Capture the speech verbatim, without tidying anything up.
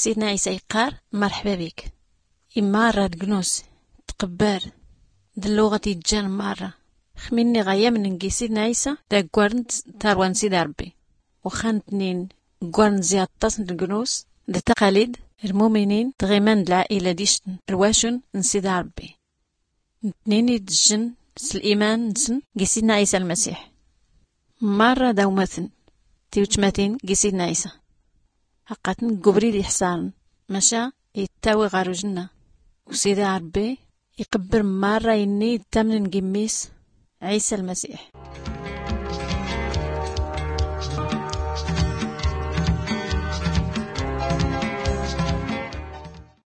Sidna ɛisa iqqar, marḥba bik. I marra d gnus tqbbar d lluɣat ijjan marra xminni ɣa yamn n gi sidna ɛisa d aggwarn d tarwa n sida rbbi. Uxxan tnin ggwarn zi aṭṭas n gnus d taqalid lmuminin tɣiman d lɛaila d ictn rwacun n sida rbbi. Ntnin idjn s liman nsn gi sidna ɛisa lmsiḥ. Marra d awmatn tiwtmatin gi sidna ɛisa. Aqatn ggubrid ixsarn maca ittawi ɣar ujnna. Usida rbbi iqbbr marra inni ittamnn gimmis ɛisa lmsiḥ.